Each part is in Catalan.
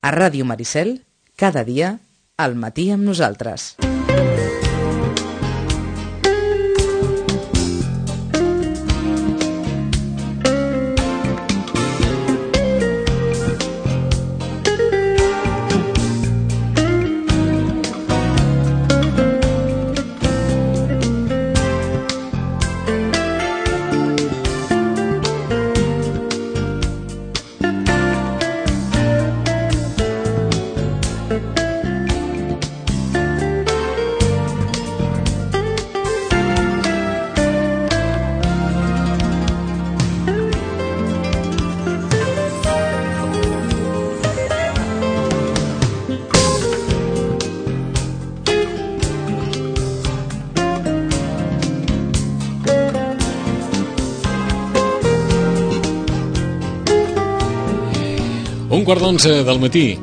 A Ràdio Maricel, cada dia, al matí amb nosaltres. Quart d'11 del matí.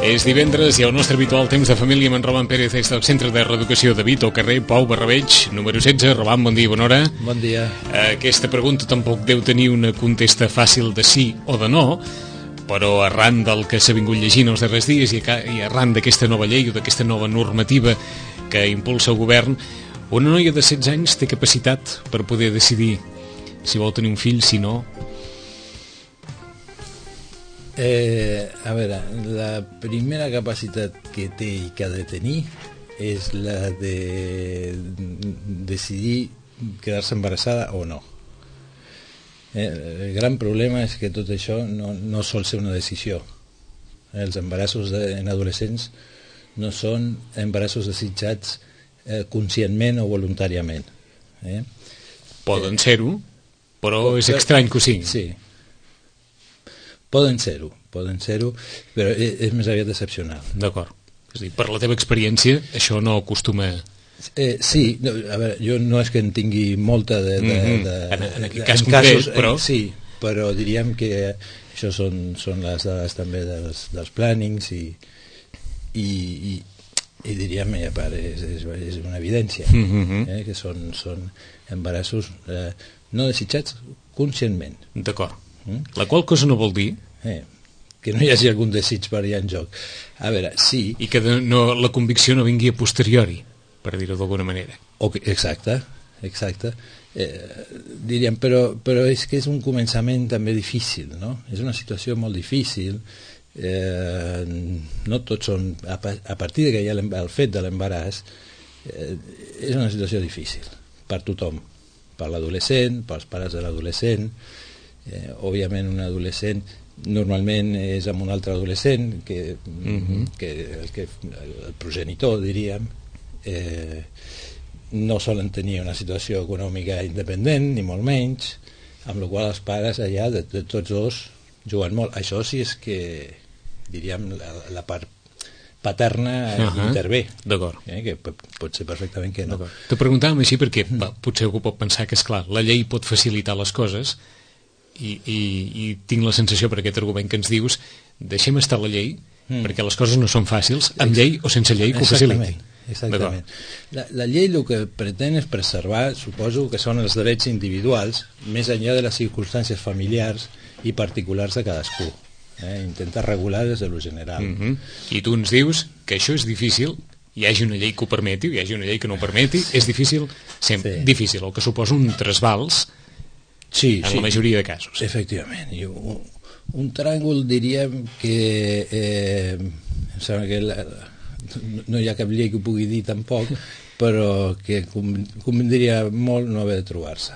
És divendres i el nostre habitual temps de família amb en Roman Pérez des del Centre de Reeducació de Vito, carrer Pau Barrabeig, número 16. Roman, bon dia, bona hora. Bon dia. Aquesta pregunta tampoc deu tenir una contesta fàcil de sí o de no, però arran del que s'ha vingut llegint els darrers dies i arran d'aquesta nova llei o d'aquesta nova normativa que impulsa el govern, una noia de 16 anys té capacitat per poder decidir si vol tenir un fill, si no. A veure, la primera capacitat que té i que ha de tenir és la de decidir quedar-se embarassada o no. El gran problema és que tot això no sol ser una decisió. Els embarassos en adolescents no són embarassos desitjats conscientment o voluntàriament. Poden ser-ho, però és estrany que ho siguin. Sí. Poden ser-ho, però és més aviat excepcional. D'acord. És a dir, per la teva experiència, això no acostuma... Sí, a veure, jo no és que en tingui molta en aquest cas concret, però... Sí, però diríem que això són les dades també dels plànings i diríem, a part, és una evidència, que són embarassos no desitjats conscientment. D'acord. La qual cosa no vol dir que no hi hagi algun desig per allà en joc. A veure, sí... I que la convicció no vingui a posteriori, per dir-ho d'alguna manera. Exacte. Diríem, però és que és un començament també difícil, no? És una situació molt difícil. No tots són... A partir de que hi ha el fet de l'embaràs, és una situació difícil per tothom, per l'adolescent, pels pares de l'adolescent. Òbviament un adolescent normalment és amb un altre adolescent que el progenitor, diríem, no solen tenir una situació econòmica independent, ni molt menys, amb la qual els pares allà de tots dos juguen molt. Això sí és que, diríem, la part paterna intervé. D'acord. Que pot ser perfectament que no. T'ho preguntàvem així perquè potser algú pot pensar que, esclar, la llei pot facilitar les coses i tinc la sensació per aquest argument que ens dius, deixem estar la llei perquè les coses no són fàcils, amb llei o sense llei que ho faciliti. Exactament. La llei el que pretén és preservar, suposo que són els drets individuals més enllà de les circumstàncies familiars i particulars de cadascú. Intentar regular des de lo general. I tu ens dius que això és difícil, hi hagi una llei que ho permeti o hi hagi una llei que no ho permeti, és difícil, sempre difícil, el que suposa un trasbals en la majoria de casos. Efectivament. I un tràngol diríem que em sembla que no hi ha cap llei que ho pugui dir tampoc, però que convindria molt no haver de trobar-se.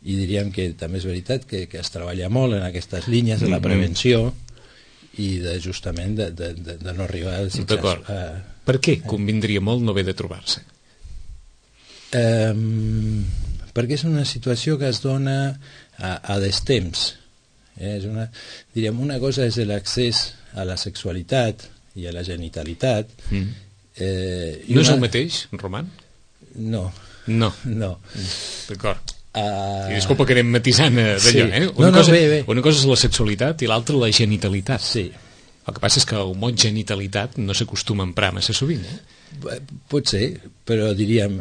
I diríem que també és veritat que es treballa molt en aquestes línies de la prevenció i justament de no arribar a desitjar. D'acord. Per què convindria molt no haver de trobar-se? Perquè és una situació que es dona a destemps. Diríem, una cosa és l'accés a la sexualitat i a la genitalitat. No és el mateix, Roman? No. D'acord. I disculpa que anem matisant d'allò, Una cosa és la sexualitat i l'altra la genitalitat. Sí. El que passa és que el mot genitalitat no s'acostuma a emprar massa sovint, Pot ser, però diríem,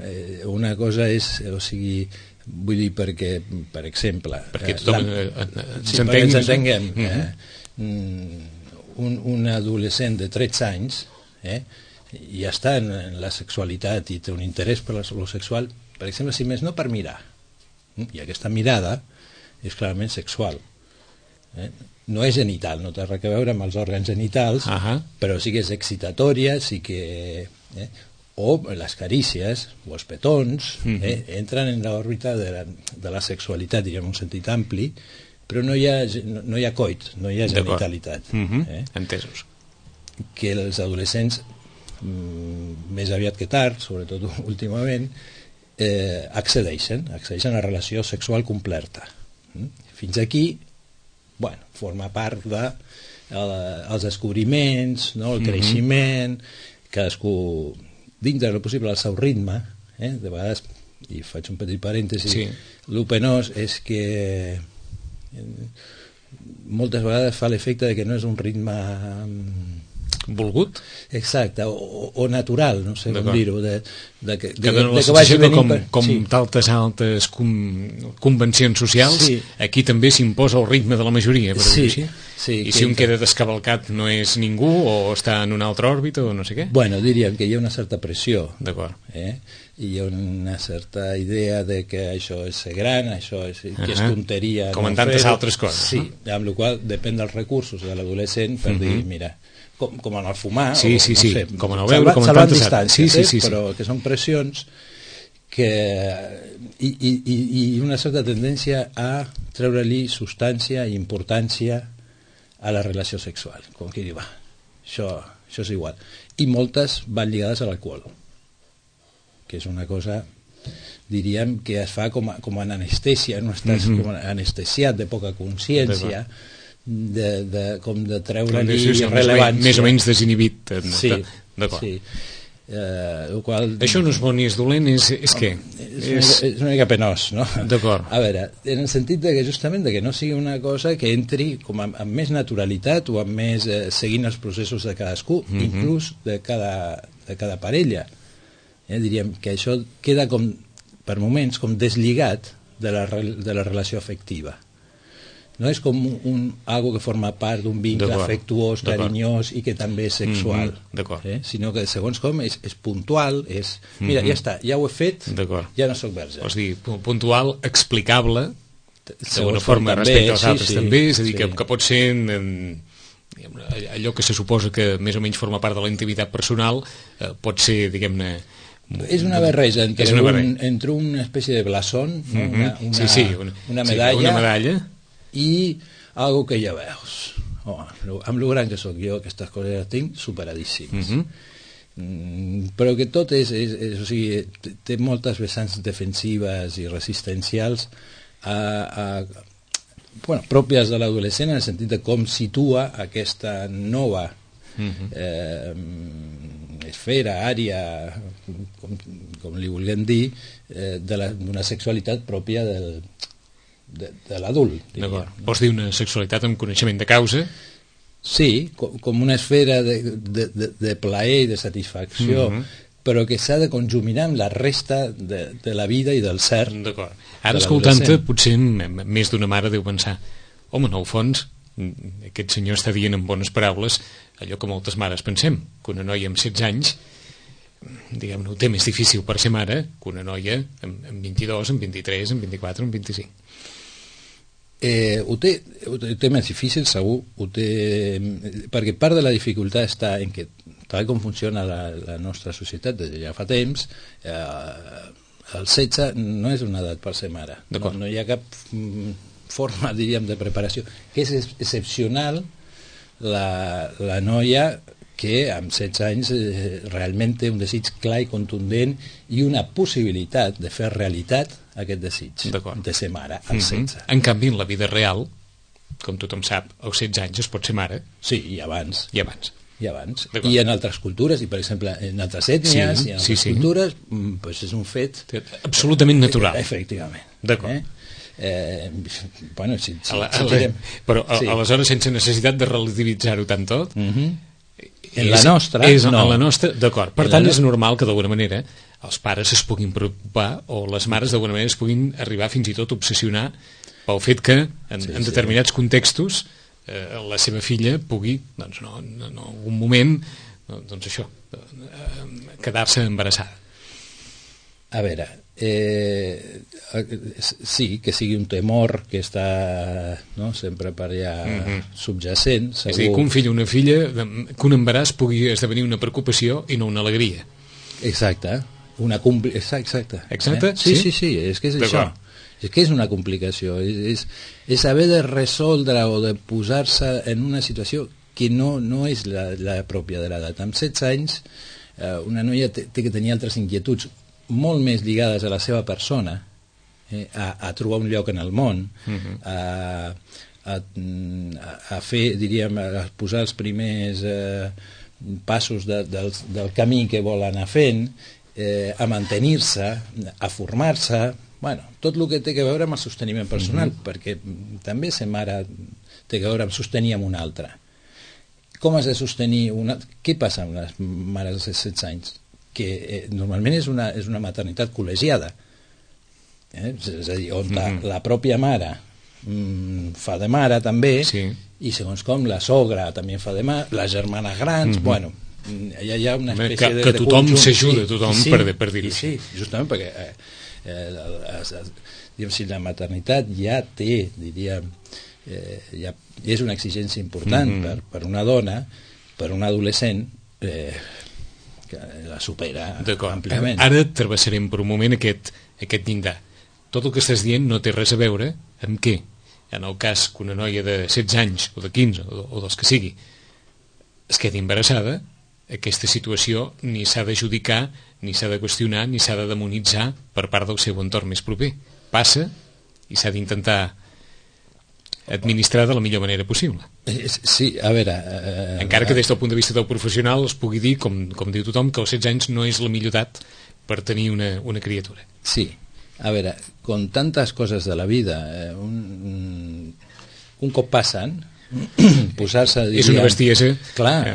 una cosa és, o sigui, vull dir perquè, per exemple... Perquè tothom ens entenguem, un adolescent de 13 anys ja està en la sexualitat i té un interès per lo sexual, per exemple, si més no per mirar, i aquesta mirada és clarament sexual, no és genital, no té res a veure amb els òrgans genitals, però sí que és excitatòria, sí que o les carícies o els petons entren en l'òrbita de la sexualitat, diríem en un sentit ampli, però no hi ha coit, no hi ha genitalitat. Entesos. Que els adolescents, més aviat que tard, sobretot últimament, accedeixen a la relació sexual completa. Fins aquí, forma part dels descobriments, el creixement, cadascú dins del possible al seu ritme. De vegades, i faig un petit parèntesi, el penós és que moltes vegades fa l'efecte de que no és un ritme volgut? Exacte, o natural, no sé com dir-ho, que dona la sensació que com d'altes altes convencions socials, aquí també s'imposa el ritme de la majoria, per dir-ho així. I si un queda descavalcat no és ningú, o està en una altra òrbita, o no sé què? Bueno, diríem que hi ha una certa pressió. D'acord. I hi ha una certa idea de que això és ser gran, això és que és tonteria. Com en tantes altres coses. Sí, amb la qual depèn dels recursos de l'adolescent per dir, mira, com en el fumar, com en el beure, com en tantes distàncies, però que són pressions i una certa tendència a treure-li substància i importància a la relació sexual, com que diu, això és igual, i moltes van lligades a l'alcohol, que és una cosa, diríem, que es fa com en anestèsia, no estàs com anestesiat, de poca consciència, com de treure-li rellevància, més o menys desinhibit. D'acord. Això no és bo ni és dolent, és què? És una mica penós, no? D'acord. A veure, en el sentit que justament que no sigui una cosa que entri com amb més naturalitat o amb més seguint els processos de cadascú, inclús de cada parella. Diríem que això queda com per moments com deslligat de la relació afectiva. No és com algo que forma part d'un vincle afectuós, carinyós i que també és sexual, sinó que segons com és puntual, és mira, ja està, ja ho he fet, ja no soc verge. Vols dir, puntual, explicable d'una forma respecte als altres també, és a dir, que pot ser allò que se suposa que més o menys forma part de la intimitat personal, pot ser, diguem-ne, és una barreja entre una espècie de blasón, una medalla i algo que ja veus. Amb lo gran que sóc jo, aquestes coses les tinc superadíssimes. Però que tot o sigui, té moltes vessants defensives i resistencials pròpies de l'adolescent, en el sentit de com situa aquesta nova esfera, àrea, com li vulguem dir, d'una sexualitat pròpia de l'adult. Vols dir una sexualitat amb coneixement de causa? Sí, com una esfera de plaer i de satisfacció, però que s'ha de conjuminar amb la resta de la vida i del ser. D'acord. Ara, escoltant-te, potser més d'una mare deu pensar, home, en el fons, aquest senyor està dient en bones paraules allò que moltes mares pensem, que una noia amb 16 anys, diguem-ne, ho té més difícil per ser mare que una noia amb 22, amb 23, amb 24, amb 25. Ho té més difícil, segur, perquè part de la dificultat està en que, tal com funciona la nostra societat des de ja fa temps, el 16 no és una edat per ser mare, no hi ha cap forma, diríem, de preparació, que és excepcional la noia que amb 16 anys realment té un desig clar i contundent i una possibilitat de fer realitat aquest desig de ser mare als 16. En canvi, en la vida real, com tothom sap, als 16 anys es pot ser mare. Sí, i abans. I abans. I en altres cultures, i per exemple en altres ètnies i en altres cultures, doncs és un fet absolutament natural. Efectivament. D'acord. Però aleshores, sense necessitat de relativitzar-ho tant tot, en la nostra en la nostra, d'acord, per tant és normal que d'alguna manera els pares es puguin preocupar o les mares d'alguna manera es puguin arribar fins i tot a obsessionar pel fet que en determinats contextos la seva filla pugui, doncs no, en algun moment, doncs això, quedar-se embarassada. A veure, sí, que sigui un temor que està sempre per allà subjacent. Segur. És a dir, que un fill o una filla, que un embaràs pugui esdevenir una preocupació i no una alegria. Exacte. Exacte. Exacte? Sí, és que és això. És que és una complicació. És haver de resoldre o de posar-se en una situació que no és la pròpia de l'edat. Amb 16 anys, una noia té que tenir altres inquietuds molt més lligades a la seva persona, a trobar un lloc en el món, a fer, diríem, a posar els primers passos del camí que vol anar fent, a mantenir-se, a formar-se, tot el que té a veure amb el sosteniment personal, perquè també ser mare té a veure amb sostenir amb una altra. Com has de sostenir una... Què passa amb les mares de 16 anys? Que normalment és una maternitat col·legiada. És a dir, on la pròpia mare fa de mare també, i segons com la sogra també fa de mare, les germanes grans, hi ha una espècie de... Que tothom s'ajuda, tothom, per dir-ho. Sí, justament perquè si la maternitat ja té, diríem, és una exigència important per una dona, per un adolescent, que la supera àmpliament. Ara travessarem per un moment aquest llindar. Tot el que estàs dient no té res a veure amb què, en el cas que una noia de 16 anys o de 15 o dels que sigui es quedi embarassada, aquesta situació ni s'ha d'adjudicar, ni s'ha de qüestionar, ni s'ha de demonitzar per part del seu entorn més proper. Passa i s'ha d'intentar administrar de la millor manera possible. Sí, a veure... Encara que des del punt de vista del professional es pugui dir, com diu tothom, que als 16 anys no és la millor edat per tenir una criatura. Sí, a veure, con tantes coses de la vida, un cop passen, posar-se... És una bestiesa. Clar,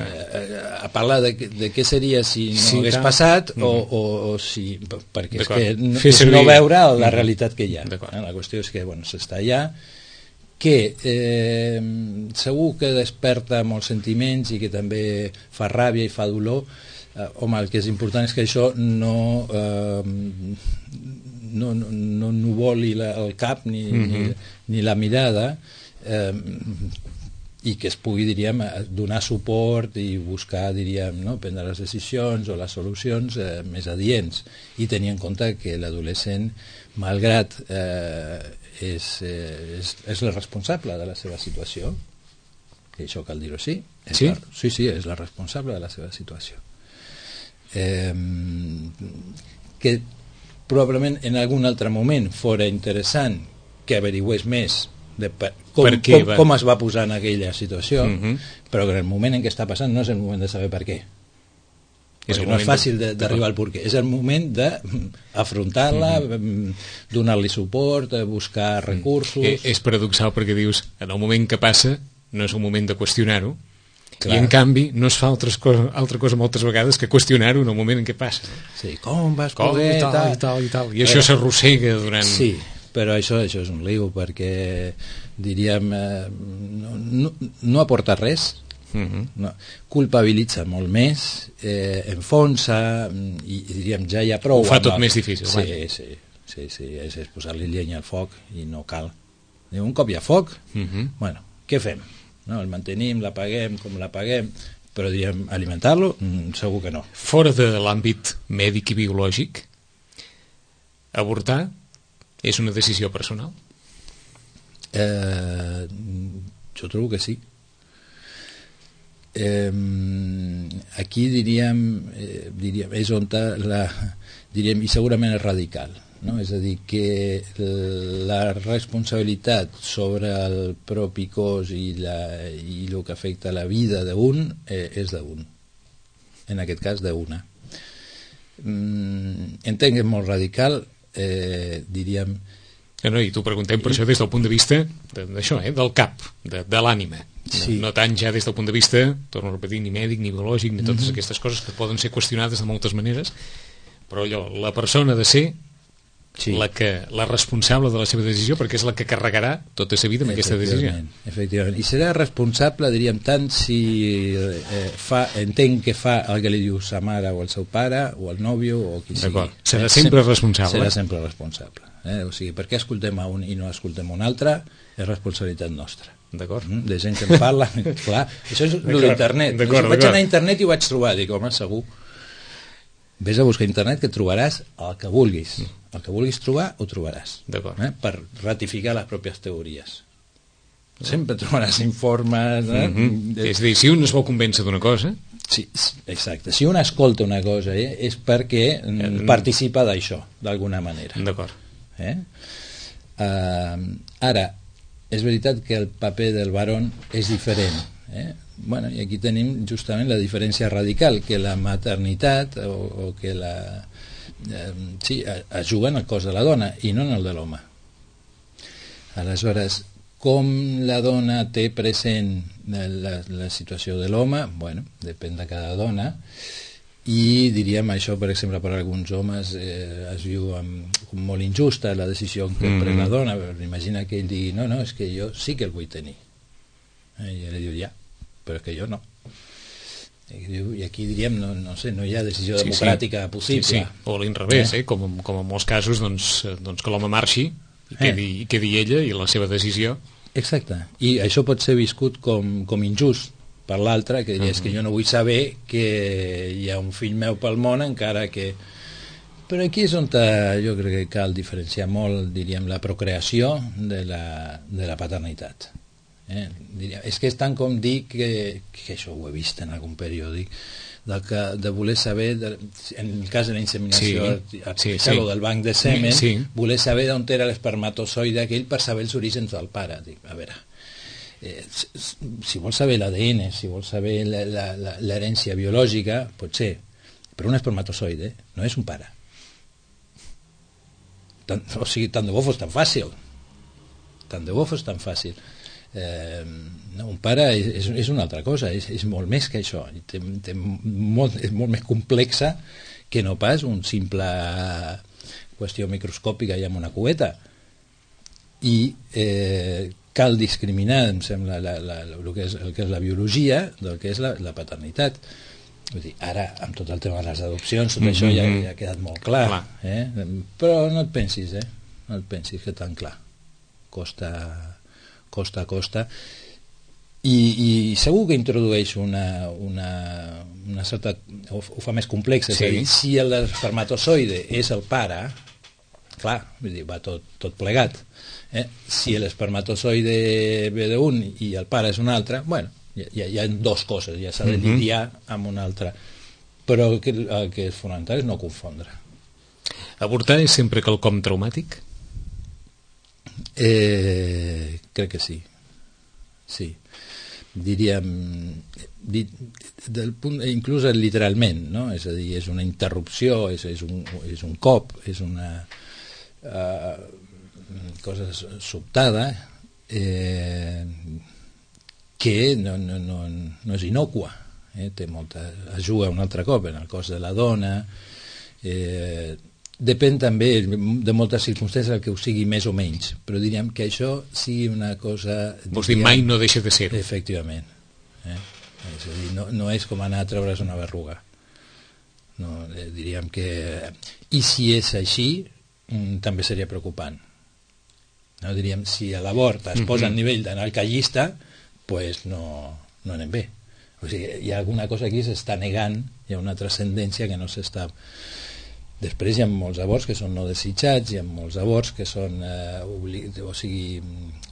a parlar de què seria si no hagués passat o si... Perquè és no veure la realitat que hi ha. La qüestió és que s'està allà, que segur que desperta molts sentiments i que també fa ràbia i fa dolor. Home, el que és important és que això no nuvoli el cap ni la mirada, i que es pugui, diríem, donar suport i buscar, diríem, prendre les decisions o les solucions més adients, i tenir en compte que l'adolescent, malgrat és la responsable de la seva situació, que això cal dir-ho així, sí, és la responsable de la seva situació, que probablement en algun altre moment fora interessant que averigüés més de com es va posar en aquella situació, però que en el moment en què està passant no és el moment de saber per què, perquè no és fàcil d'arribar al perquè, és el moment d'afrontar-la, donar-li suport, buscar recursos. És paradoxal perquè dius, en el moment que passa no és un moment de qüestionar-ho, i en canvi no es fa altra cosa moltes vegades que qüestionar-ho en el moment en què passa. Sí, com vas poder... I tal, i això s'arrossega durant... Sí, però això és un lío, perquè diríem no aporta res, culpabilitza molt més, enfonsa, i diríem ja hi ha prou. Ho fa tot més difícil. Sí, és posar-li llenya al foc i no cal. Un cop hi ha foc, què fem? El mantenim, l'apaguem com l'apaguem, però diríem alimentar-lo, segur que no. Fora de l'àmbit mèdic i biològic, avortar és una decisió personal? Jo trobo que sí. Aquí diríem és on diríem, i segurament és radical, no? És a dir, que la responsabilitat sobre el propi cos i el que afecta la vida d'un és d'un, en aquest cas d'una. Entenc que és molt radical, diríem... I t'ho preguntem per això des del punt de vista d'això, del cap, de l'ànima. No tant ja des del punt de vista, torno a repetir, ni mèdic, ni biològic, ni totes aquestes coses que poden ser qüestionades de moltes maneres, però allò, la persona de ser la responsable de la seva decisió, perquè és la que carregarà tota sa vida amb aquesta decisió. Efectivament. I serà responsable, diríem, tant si entén que fa el que li diu sa mare o el seu pare o el nòvio o qui sigui. Serà sempre responsable. Serà sempre responsable. O sigui, per què escoltem a un i no escoltem a un altre és responsabilitat nostra. D'acord. De gent que en parla, clar, això és l'internet. Vaig anar a internet i ho vaig trobar, dic, home, segur. Vés a buscar a internet que trobaràs el que vulguis. El que vulguis trobar, ho trobaràs. Per ratificar les pròpies teories. Sempre trobaràs informes... És a dir, si un es vol convèncer d'una cosa... Sí, exacte. Si un escolta una cosa és perquè participa d'això, d'alguna manera. D'acord. Ara, és veritat que el paper del barón és diferent. Bueno, i aquí tenim justament la diferència radical, que la maternitat o que la... sí, es juga en el cos de la dona i no en el de l'home. Aleshores, com la dona té present la situació de l'home, bueno, depèn de cada dona, i diríem això, per exemple, per alguns homes es viu com molt injusta la decisió que pren la dona. Imagina que ell digui, no, és que jo sí que el vull tenir, i ella diu, ja, però és que jo no. I aquí diríem, no sé, no hi ha decisió democràtica possible. Sí. O a l'inrevés, com en molts casos, doncs que l'home marxi i quedi ella i la seva decisió. Exacte, i això pot ser viscut com injust per l'altre, que diria, és que jo no vull saber que hi ha un fill meu pel món, encara que... Però aquí és on jo crec que cal diferenciar molt, diríem, la procreació de la paternitat. Diria, és que és tant com dir que això ho he vist en algun periòdic, de voler saber, en el cas de la inseminació artificial o del banc de semen, voler saber d'on era l'espermatozoide aquell per saber els orígens del pare. Dic, a veure, si vols saber l'ADN, si vols saber l'herència biològica, pot ser, però un espermatozoide no és un pare. O sigui, tant de bo fos tan fàcil. Tant de bo fos tan fàcil. Un pare és una altra cosa, és molt més que això, és molt més complexa que no pas un simple qüestió microscòpica i amb una cubeta. I cal discriminar, em sembla, el que és la biologia del que és la paternitat. Vull dir, ara, amb tot el tema de les adopcions, tot això ja ha quedat molt clar. Però no et pensis, no et pensis que tan clar. Costa a costa, i segur que introdueix una certa... ho fa més complex, és a dir, si l'espermatozoide és el pare, clar, vull dir, va tot plegat. Si l'espermatozoide ve d'un i el pare és un altre, bueno, hi ha dues coses, ja s'ha de lidiar amb una altra, però el que és fonamental és no confondre. Avortar és sempre quelcom traumàtic? Crec que sí, diríem inclús literalment, no? És a dir, és una interrupció, és un cop, és una cosa sobtada que no és innocua, té molta, es juga un altre cop en el cos de la dona. Depèn també de moltes circumstàncies el que ho sigui més o menys, però diríem que això sigui una cosa... Vols dir, mai no deixa de ser-ho. Efectivament. És a dir, no és com anar a treure's una berruga. No, diríem que... I si és així, també seria preocupant. No, diríem, si a l'avort es posa al nivell d'anar al callista, pues no anem bé. O sigui, hi ha alguna cosa aquí que s'està negant, hi ha una transcendència que no s'està... Després hi ha molts avorts que són no desitjats, hi ha molts avorts que són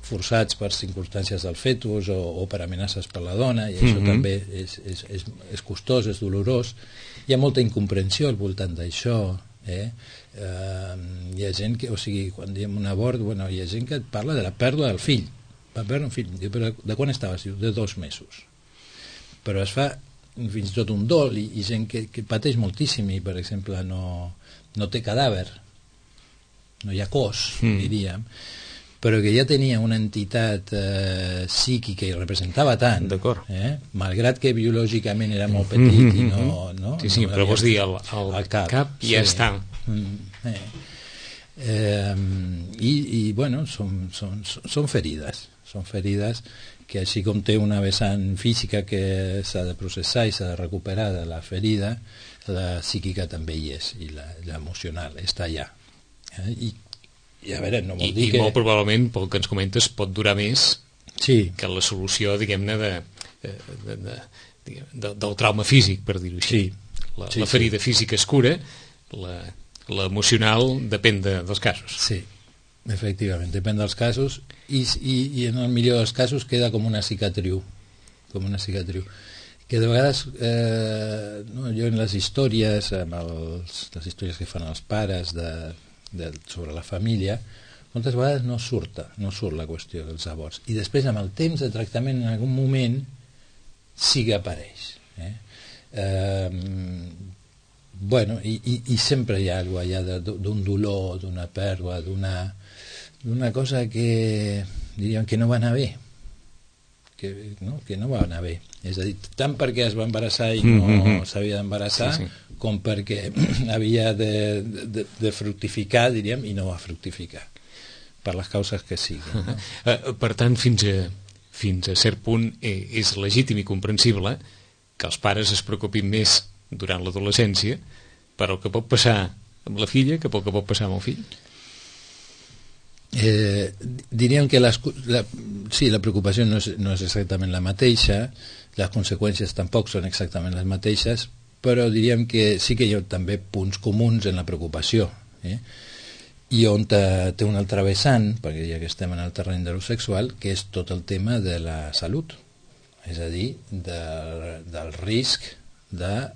forçats per circumstàncies del fetus o per amenaces per la dona, i això també és costós, és dolorós. Hi ha molta incomprensió al voltant d'això. Hi ha gent que, o sigui, quan diem un avort, bueno, hi ha gent que et parla de la pèrdua del fill. Va perdre un fill. Diu, però de quan estaves? Diu, de 2 mesos. Però es fa fins i tot un dol i gent que pateix moltíssim i, per exemple, no té cadàver, no hi ha cos, diríem, però que ja tenia una entitat psíquica i representava tant, malgrat que biològicament era molt petit i no... Sí, però vols dir, el cap ja està. I bueno, són ferides que així com té una vessant física que s'ha de processar i s'ha de recuperar de la ferida, la psíquica també hi és, i l'emocional està allà. I a veure, no vol dir que... I molt probablement, pel que ens comentes, pot durar més que la solució, diguem-ne, del trauma físic, per dir-ho així. La ferida física es cura, l'emocional depèn dels casos. Sí, efectivament, depèn dels casos, i en el millor dels casos queda com una cicatriu, que de vegades jo en les històries, les històries que fan els pares sobre la família, moltes vegades no surt la qüestió dels aborts, i després amb el temps de tractament en algun moment sí que apareix. Bueno, i sempre hi ha alguna cosa allà d'un dolor, d'una pèrdua, d'una cosa que diríem que no va anar bé, que no va anar bé, és a dir, tant perquè es va embarassar i no s'havia d'embarassar, com perquè havia de fructificar, diríem, i no va fructificar per les causes que siguin, no? Per tant, fins a cert punt és legítim i comprensible que els pares es preocupin més durant l'adolescència per el que pot passar amb la filla que pel que pot passar amb el fill? Diríem que la preocupació no és exactament la mateixa, les conseqüències tampoc són exactament les mateixes, però diríem que sí que hi ha també punts comuns en la preocupació, i on té un altre vessant, perquè ja que estem en el terreny de lo sexual, que és tot el tema de la salut, és a dir, del risc de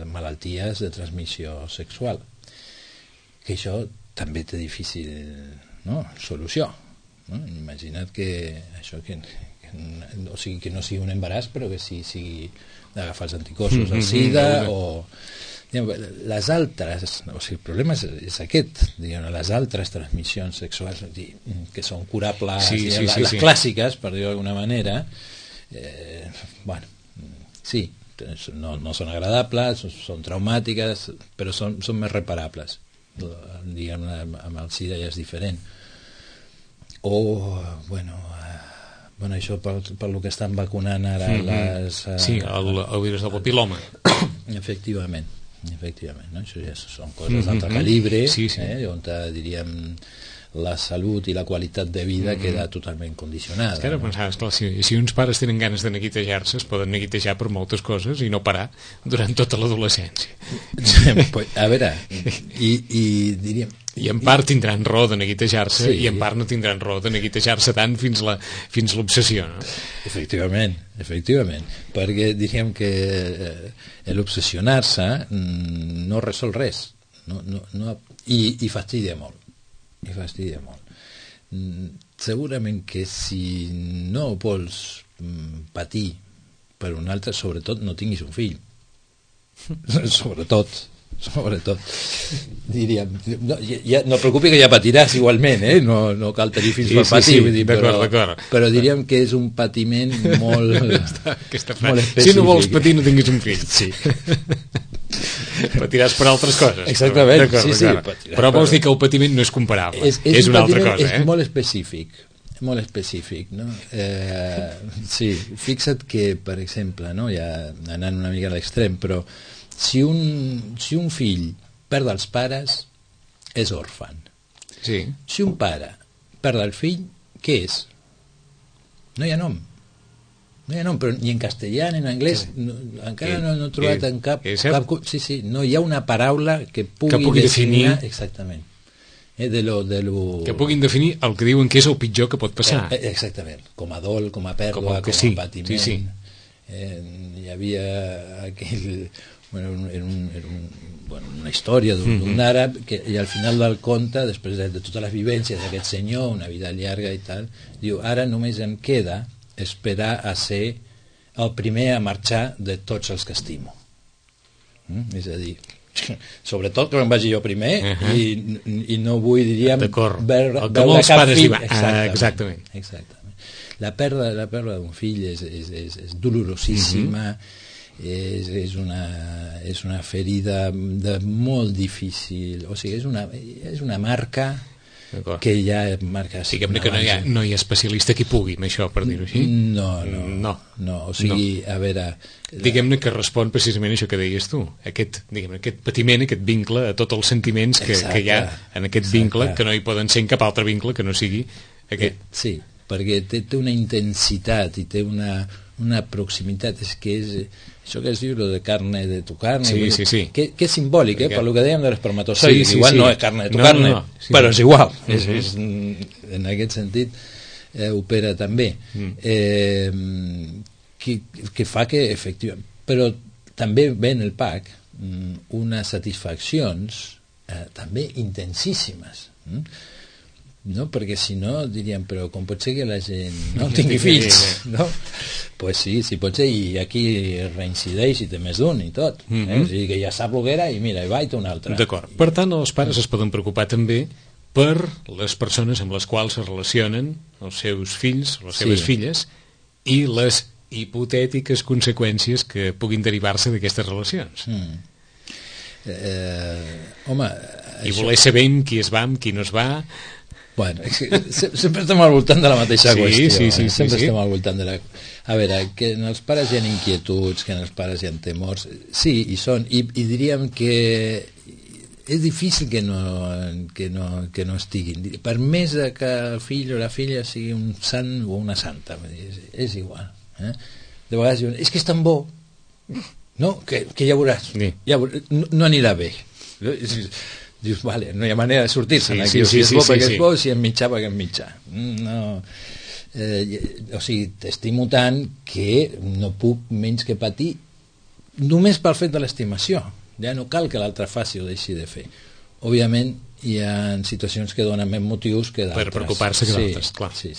malalties de transmissió sexual, que això també té difícil solució, no? Imagina't que això que no sigui un embaràs, però que sigui d'agafar els anticossos al SIDA o les altres, el problema és aquest, les altres transmissions sexuals que són curables, les clàssiques, per dir-ho d'alguna manera, bueno, sí, no són agradables, són traumàtiques, però són més reparables. Diguem-ne, amb el SIDA ja és diferent. O, bueno, això pel que estan vacunant ara les... Sí, el virus del papil·loma. Efectivament, no? Això ja són coses d'altre calibre, on diríem la salut i la qualitat de vida queda totalment condicionada. Ara pensaves, clar, si uns pares tenen ganes de neguitejar-se, es poden neguitejar per moltes coses i no parar durant tota l'adolescència. A veure, i diríem... I en part tindran raó de neguitejar-se i en part no tindran raó de neguitejar-se tant fins l'obsessió, no? Efectivament, perquè diríem que l'obsessionar-se no resol res, i fastidia molt. Segurament que si no vols patir per un altre, sobretot no tinguis un fill. Sobretot diríem, no et preocupi que ja patiràs igualment, no cal tenir fills per patir, però diríem que és un patiment molt específic. Si no vols patir no tinguis un fill. Patiràs per altres coses. Exactament, però vols dir que el patiment no és comparable, és una altra cosa. És molt específic, no? Sí, fixa't que, per exemple, ja anant una mica a l'extrem, però si un fill perd els pares, és òrfan. Si un pare perd el fill, què és? No hi ha nom, però ni en castellà ni en anglès encara no he trobat en cap no hi ha una paraula que pugui definir exactament que puguin definir el que diuen que és el pitjor que pot passar, exactament, com a dol, com a pèrdua, com a patiment. Hi havia aquell una història d'un àrab i al final del conte, després de totes les vivències d'aquest senyor, una vida llarga i tal, diu, ara només em queda esperar a ser el primer a marxar de tots els que estimo. És a dir, sobretot que em vagi jo primer i no vull, diríem, veure cap fill. Exactament. La pèrdua d'un fill és dolorosíssima és una ferida de molt difícil, o sigui, és una marca que ja marca... Diguem-ne que no hi ha especialista que pugui amb això, per dir-ho així. No, o sigui, a veure... Diguem-ne que respon precisament a això que deies tu, aquest patiment, aquest vincle, a tots els sentiments que hi ha en aquest vincle, que no hi poden ser en cap altre vincle que no sigui aquest. Sí, perquè té una intensitat i té una proximitat, és que és això que es diu de carne de tu carne, sí. Que és simbòlic, per lo que dèiem de l'espermatozoide, igual no és carne de tu carne, però és igual, en aquest sentit opera també, que fa que efectivament, però també ve en el PAC unes satisfaccions també intensíssimes, no? Perquè si no diríem, però com pot ser que la gent no tingui fills, no? Pues sí pot ser, i aquí reincideix i té més d'un i tot, o sigui que ja sap el que era i mira, i va i té un altre. D'acord, per tant els pares es poden preocupar també per les persones amb les quals es relacionen els seus fills o les seves filles i les hipotètiques conseqüències que puguin derivar-se d'aquestes relacions. Home, i voler saber amb qui es va, amb qui no es va. Bueno, sempre estem al voltant de la mateixa qüestió. Sempre estem al voltant de la... A veure, que en els pares hi ha inquietuds, que en els pares hi ha temors, sí, hi són, i diríem que és difícil que no estiguin. Per més que el fill o la filla sigui un sant o una santa, és igual. De vegades diuen, és que és tan bo, no? Que ja veuràs, no anirà bé. Dius, vale, no hi ha manera de sortir-se'n aquí, si és bo perquè és bo, si és mitjà perquè és mitjà. No, o sigui, t'estimo tant que no puc menys que patir només pel fet de l'estimació. Ja no cal que l'altre faci o deixi de fer. Òbviament hi ha situacions que donen més motius que d'altres. Per preocupar-se que d'altres, clar. Sí.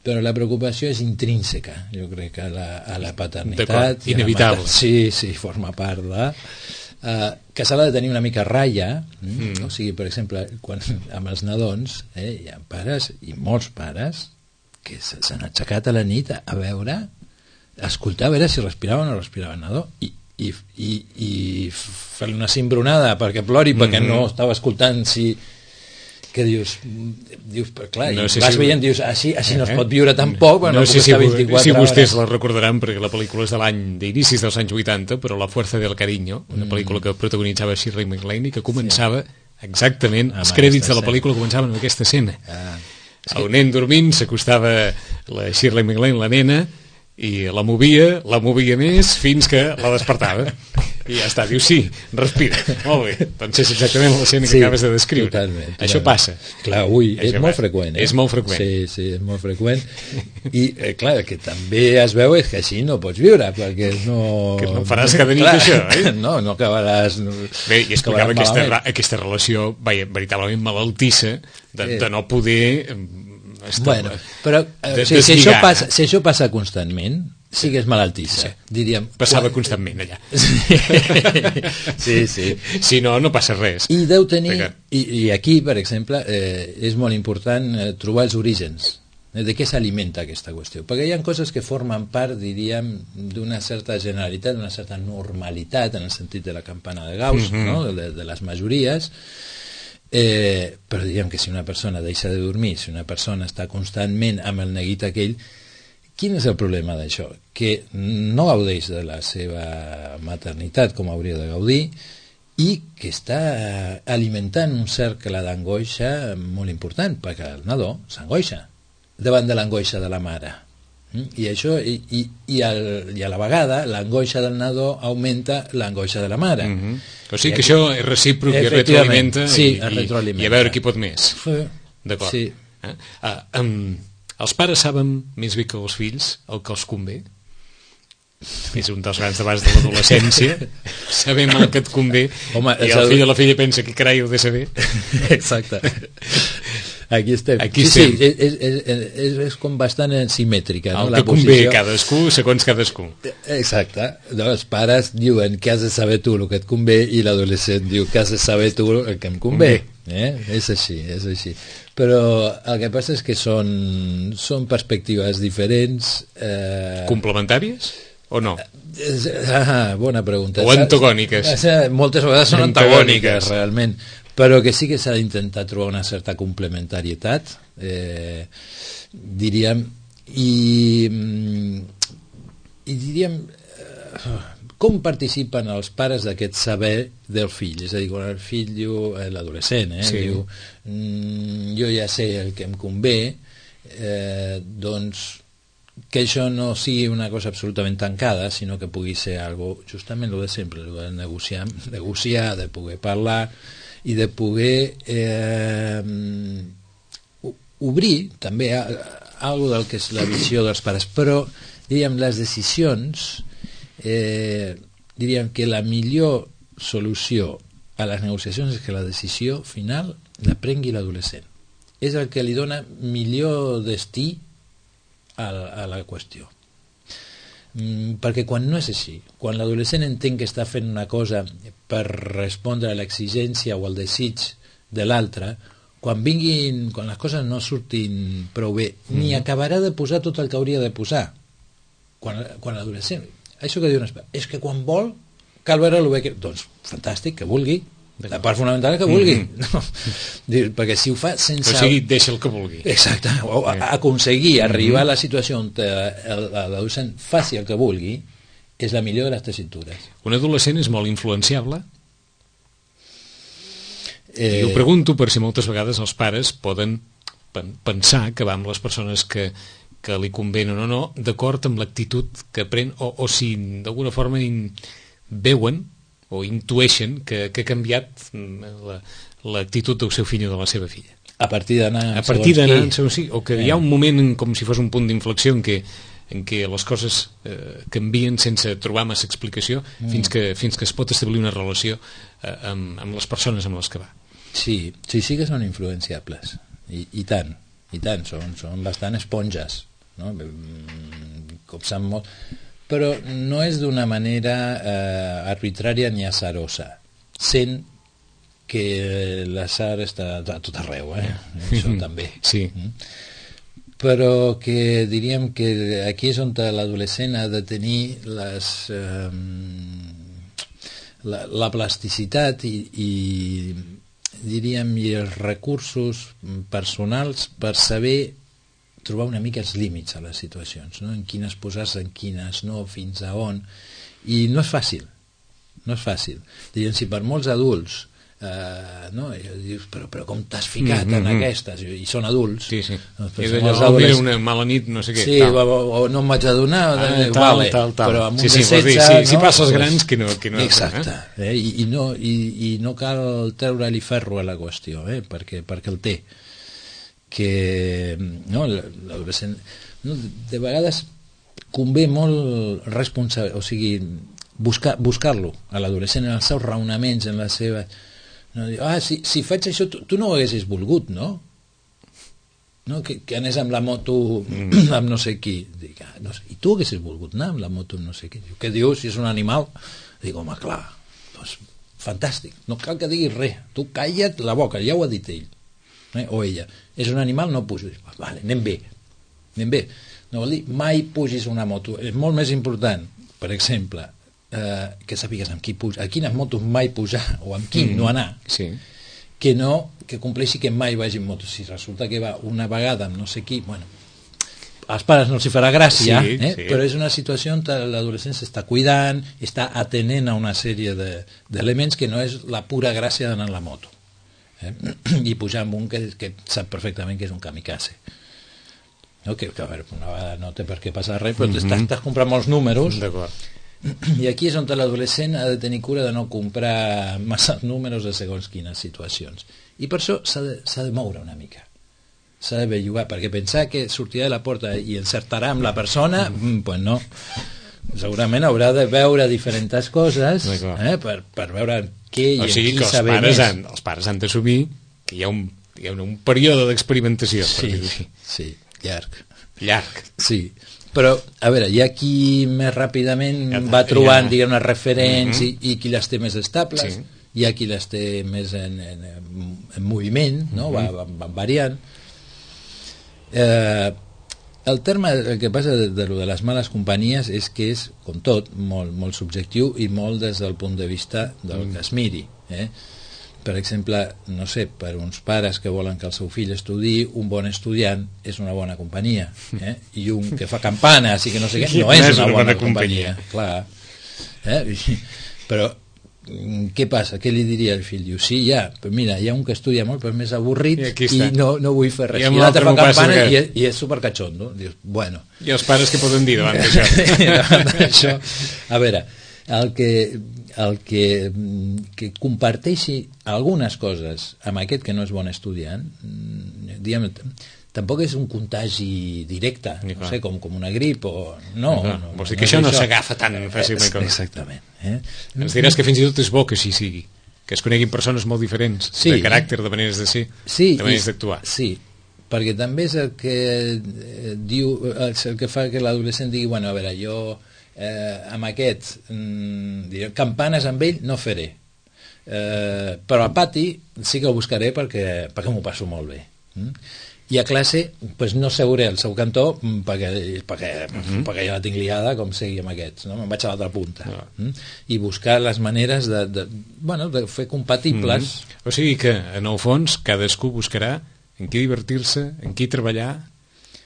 Però la preocupació és intrínseca, jo crec, a la paternitat. Inevitable. Sí, forma part de... que s'ha de tenir una mica ratlla, o sigui, per exemple, amb els nadons hi ha pares, i molts pares, que s'han aixecat a la nit a veure, a escoltar, a veure si respirava o no respirava el nadó, i fer-li una cimbronada perquè plori, perquè no estava escoltant que dius clar, no sé vas veient, dius, així no es pot viure tampoc, no sé si vostès la recordaran, perquè la pel·lícula és de d'inicis dels anys 80, però La fuerza del cariño, una pel·lícula que protagonitzava Shirley MacLaine i que començava exactament, els crèdits de la pel·lícula començaven amb aquesta escena. El nen dormint, s'acostava la Shirley MacLaine, la nena, i la movia més fins que la despertava i ja està, diu sí, respira, molt bé, doncs és exactament l'escena que acabes de descriure. Totalment. Això passa. Clar, és molt freqüent. És molt freqüent. Sí, és molt freqüent i clar, que també es veu és que així no pots viure, perquè que no faràs cada nit això, no acabaràs bé, i explicava aquesta relació veritablement malaltissa de no poder bueno, però si això passa constantment, sigues malaltissa, diríem. Passava constantment allà. Sí. Si no passa res. I deu tenir, i aquí, per exemple, és molt important trobar els orígens de què s'alimenta aquesta qüestió, perquè hi ha coses que formen part, diríem, d'una certa generalitat, d'una certa normalitat, en el sentit de la campana de Gauss, de les majories. Però diríem que si una persona deixa de dormir, si una persona està constantment amb el neguit aquell, quin és el problema d'això? Que no gaudeix de la seva maternitat com hauria de gaudir i que està alimentant un cercle d'angoixa molt important, perquè el nadó s'angoixa davant de l'angoixa de la mare. I això i a la vegada l'angoixa del nadó augmenta l'angoixa de la mare. O sigui que això és recíproc i retroalimenta, i a veure qui pot més. D'acord. Sí. Els pares saben més bé que els fills el que els convé? És un dels grans debats de l'adolescència. Sabem el que et convé. Home, i el fill o la filla pensa que carai ho he de saber. Exacte. Aquí estem. És com bastant simètrica, no? El que convé cadascú segons cadascú. Exacte. Els pares diuen que has de saber tu el que et convé i l'adolescent diu que has de saber tu el que em convé. És així. Però el que passa és que són perspectives diferents. Complementàries? o no? Bona pregunta. O antagòniques? Moltes vegades són antagòniques, realment, però que sí que s'ha d'intentar trobar una certa complementarietat, diríem, i diríem com participen els pares d'aquest saber del fill, és a dir, quan el fill diu, l'adolescent, diu jo ja sé el que em convé, doncs que això no sigui una cosa absolutament tancada, sinó que pugui ser algo, justament el de sempre, el de negociar, de poder parlar i de poder obrir també algo del que és la visió dels pares, però diríem les decisions, diríem que la millor solució a les negociacions és que la decisió final la prengui l'adolescent, és el que li dona millor destí a la qüestió, perquè quan no és així, quan l'adolescent entén que està fent una cosa per respondre a l'exigència o al desig de l'altre, quan les coses no surtin prou bé, ni acabarà de posar tot el que hauria de posar. Quan l'adolescent, això que diuen, és que quan vol cal veure el bé que... Doncs fantàstic, que vulgui, la part fonamental és que vulgui, no? Perquè si ho fa sense... O sigui, deixa el que vulgui. Exacte, o aconseguir arribar a la situació on l'adolescent faci el que vulgui és la millor de les tessitures. Un adolescent és molt influenciable? I ho pregunto per si moltes vegades els pares poden pensar que va amb les persones que li convenen o no, d'acord amb l'actitud que pren, o si d'alguna forma veuen o intueixen que ha canviat l'actitud del seu fill o de la seva filla. A partir d'anar o que hi ha un moment com si fos un punt d'inflexió en què les coses canvien sense trobar massa explicació fins que es pot establir una relació amb les persones amb les que va. Sí que són influenciables i tant, són bastant esponges, no? Copsant molt, però no és d'una manera arbitrària ni azarosa, sent que l'atzar està a tot arreu, això també. Sí. Però que diríem que aquí és on l'adolescent ha de tenir la plasticitat i diríem i els recursos personals per saber trobar una mica els límits a les situacions, no? En quines posar-se, en quines no, fins a on, i no és fàcil, diguem, si per molts adults no? Dius, però com t'has ficat en aquestes, i són adults, doncs, era una mala nit, no sé què, o no em vaig adonar, però amb un de 16 si passes grans que no exacte, i no cal treure-li ferro a la qüestió, perquè el té, que l'adolescent de vegades convé molt responsable, o sigui, buscar-lo a l'adolescent en els seus raonaments, en la seva... No, si faig això, tu no ho haguessis volgut, no? Que anés amb la moto amb no sé qui. Dic, i tu haguessis volgut anar amb la moto amb no sé qui. Què dius, si és un animal? Dic, home, clar, doncs, fantàstic, no cal que diguis res, tu calla't la boca, ja ho ha dit ell, o ella. És un animal, no pugis. Vale, anem bé. No vol dir, mai pugis una moto. És molt més important, per exemple, que sàpigues amb qui pujar, a quines motos mai pujar o amb qui no anar, que no que compleixi que mai vagi en moto. Si resulta que va una vegada amb no sé qui, bueno, als pares no els farà gràcia, però és una situació on l'adolescent s'està cuidant, està atenent a una sèrie d'elements que no és la pura gràcia d'anar en la moto, i pujar amb un que sap perfectament que és un kamikaze, no? Que a veure, una vegada no té per què passar res, però t'estàs comprant molts números. D'acord. I aquí és on l'adolescent ha de tenir cura de no comprar massa números de segons quines situacions, i per això s'ha de moure una mica, s'ha de bellugar, perquè pensar que sortirà de la porta i encertarà amb la persona, pues no, segurament haurà de veure diferents coses per veure què i en qui saber més. Els pares han d'assumir que hi ha un període d'experimentació. Sí, llarg. Sí. Però, a veure, hi ha qui més ràpidament va trobant, diguem-ne, referents i qui les té més estables, hi ha qui les té més en moviment, no? Van variant. El terme, el que passa de les males companyies és que és, com tot, molt subjectiu i molt des del punt de vista del que es miri. Per exemple, no sé, per uns pares que volen que el seu fill estudiï, un bon estudiant és una bona companyia, i un que fa campanes i que no sé què no és una bona companyia. Clar. Però què passa? Què li diria el fill? Diu, sí, però mira, hi ha un que estudia molt però és més avorrit i no vull fer res, i l'altre fa campana i és supercatxondo. Dius, bueno. I els pares què poden dir davant d'això? A veure, el que comparteixi algunes coses amb aquest que no és bon estudiant, diguem, tampoc és un contagi directe, no sé, com una grip o... No, vols dir que això no s'agafa tan fàcilment. Exactament. Ens diràs que fins i tot és bo que així sigui, que es coneguin persones molt diferents, de caràcter, de maneres de ser, de maneres d'actuar. Sí, perquè també és el que diu, el que fa que l'adolescent digui, bueno, a veure, jo amb aquest campanes amb ell no faré, però al pati sí que el buscaré perquè m'ho passo molt bé. I a classe pues, no seuré al seu cantó perquè ja la tinc liada com sigui amb aquests, no? Me'n vaig a l'altra punta. I buscar les maneres de fer compatibles. O sigui que en el fons cadascú buscarà en qui divertir-se, en qui treballar,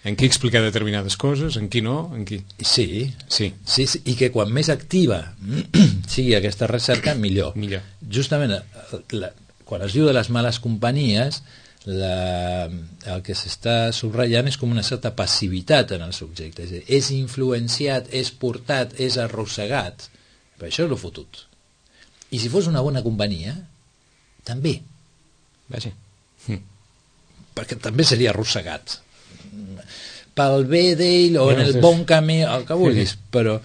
en qui explicar determinades coses, en qui no, en qui... Sí, i que quan més activa sigui aquesta recerca, millor. Justament quan es diu de les males companyies, el que s'està subratllant és com una certa passivitat en el subjecte, és influenciat, és portat, és arrossegat, per això és el fotut. I si fos una bona companyia també, perquè també seria arrossegat pel bé d'ell o en el bon camí, el que vulguis, però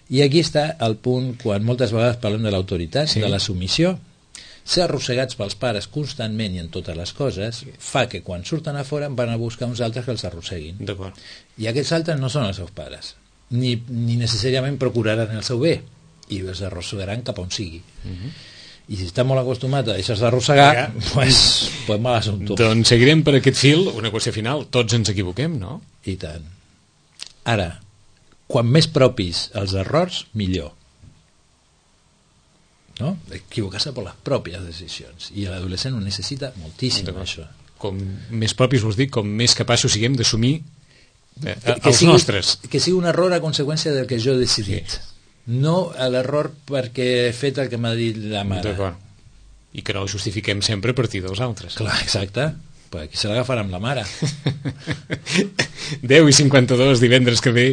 i aquí està el punt quan moltes vegades parlem de l'autoritat, de la submissió. Ser arrossegats pels pares constantment i en totes les coses fa que quan surten a fora van a buscar uns altres que els arrosseguin. I aquests altres no són els seus pares, ni necessàriament procuraran el seu bé, i els arrossegaran cap on sigui. I si està molt acostumat a deixar-se arrossegar, pues mal assumpte. Doncs seguirem per aquest fil. Una qüestió final, tots ens equivoquem, no? I tant. Ara, quan més propis els errors, millor. No? Equivocar-se per les pròpies decisions, i l'adolescent ho necessita moltíssim, això. Com més propis, vols dir, com més capaços siguem d'assumir els nostres. Que sigui un error a conseqüència del que jo he decidit, no l'error perquè he fet el que m'ha dit la mare. I que no ho justifiquem sempre a partir dels altres. Clar, exacte. Aquí se l'agafarà amb la mare. 10:52, divendres que ve,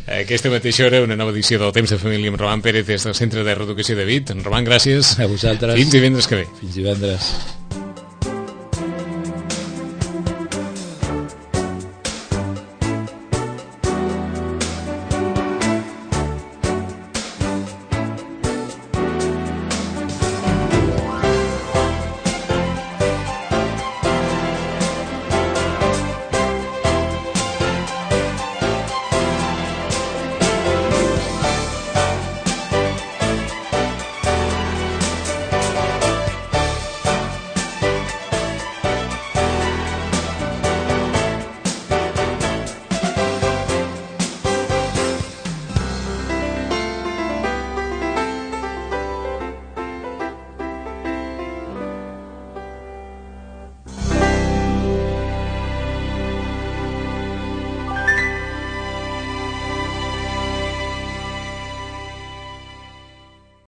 a aquesta mateixa hora, una nova edició del Temps de Família amb Roman Pérez des del Centre de Reeducació de Vic. Roman, gràcies. A vosaltres. Fins divendres que ve. Fins divendres.